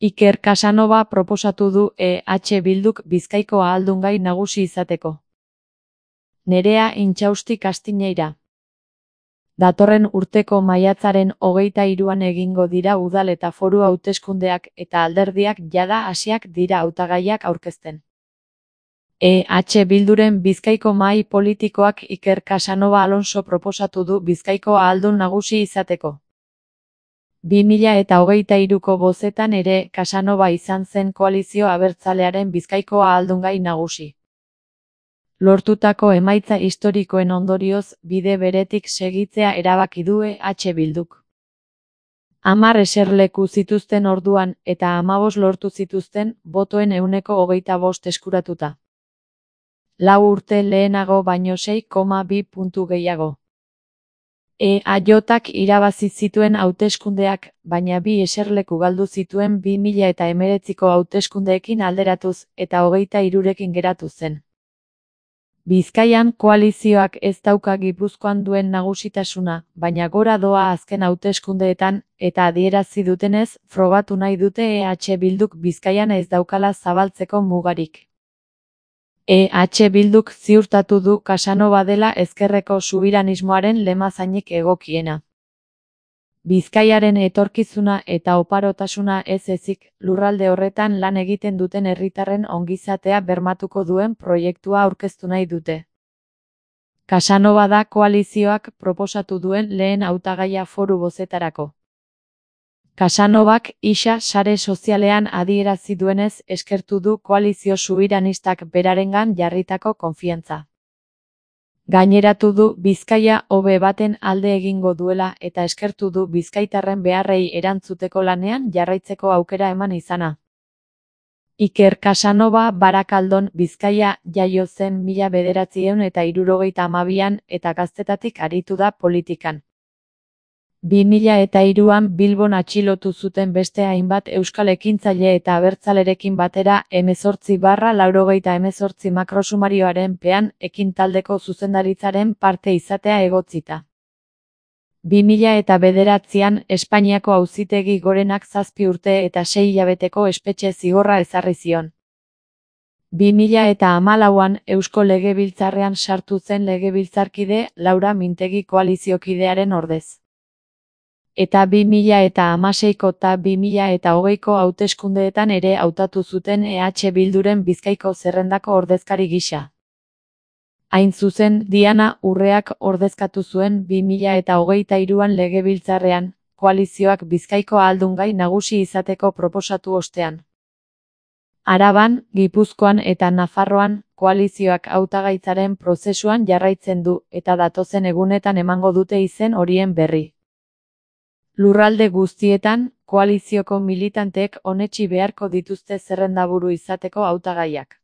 Iker Casanova proposatu du EH Bilduk Bizkaiko ahaldungai nagusi izateko. Nerea Intxausti Kastiñeira. Datorren urteko maiatzaren 23an egingo dira udal eta foru hauteskundeak eta alderdiak jada hasiak dira hautagaiak aurkezten. EH Bilduren Bizkaiko mahai politikoak Iker Casanova Alonso proposatu du Bizkaiko ahaldun nagusi izateko. 2023ko bozetan ere Casanova izan zen koalizio abertzalearen Bizkaiko ahaldungai nagusi. Lortutako emaitza historikoen ondorioz bide beretik segitzea erabaki du EH Bilduk. 10 eserleku zituzten orduan eta 15 lortu zituzten botoen 25% eskuratuta. 4 urte lehenago baino 6,2 puntu gehiago. EAJak irabazi zituen hauteskundeak, baina 2 eserleku galdu zituen 2019ko hauteskundeekin alderatuz eta 23rekin geratu zen. Bizkaian koalizioak ez dauka Gipuzkoan duen nagusitasuna, baina gora doa azken hauteskundeetan, eta adierazi dutenez, frogatu nahi dute EH Bilduk Bizkaian ez daukala zabaltzeko mugarik. EH Bilduk ziurtatu du Casanova dela ezkerreko subiranismoaren lemazainik egokiena. Bizkaiaren etorkizuna eta oparotasuna ez ezik, lurralde horretan lan egiten duten herritarren ongizatea bermatuko duen proiektua aurkeztu nahi dute. Casanova da koalizioak proposatu duen lehen hautagaia foru bozetarako. Casanovak isa sare sozialean adierazi duenez eskertu du koalizio subiranistak berarengan jarritako konfiantza. Gaineratu du Bizkaia hobe baten alde egingo duela eta eskertu du bizkaitarren beharrei erantzuteko lanean jarraitzeko aukera eman izana. Iker Casanova Barakaldon, Bizkaia jaio zen 1972an eta gaztetatik aritu da politikan. 2003an Bilbon atxilotu zuten beste hainbat euskal ekintzaile eta abertzalerekin batera 18/88 makrosumarioaren pean ekintaldeko zuzendaritzaren parte izatea egotzita. 2009an Espainiako Auzitegi Gorenak 7 urte eta 6 hilabeteko espetxe zigorra ezarri zion. 2014an Eusko Legebiltzarrean sartu zen legebiltzarkide Laura Mintegi koaliziokidearen ordez. Eta 2016ko eta 2020ko hauteskundeetan ere hautatu zuten EH Bilduren Bizkaiko zerrendako ordezkari gisa. Hain zuzen, Diana Urreak ordezkatu zuen 2023an legebiltzarrean, koalizioak Bizkaiko ahaldungai nagusi izateko proposatu ostean. Araban, Gipuzkoan eta Nafarroan, koalizioak hautagaitzaren prozesuan jarraitzen du eta datozen egunetan emango dute izen horien berri. Lurralde guztietan, koalizioko militanteek onetsi beharko dituzte zerrendaburu izateko hautagaiak.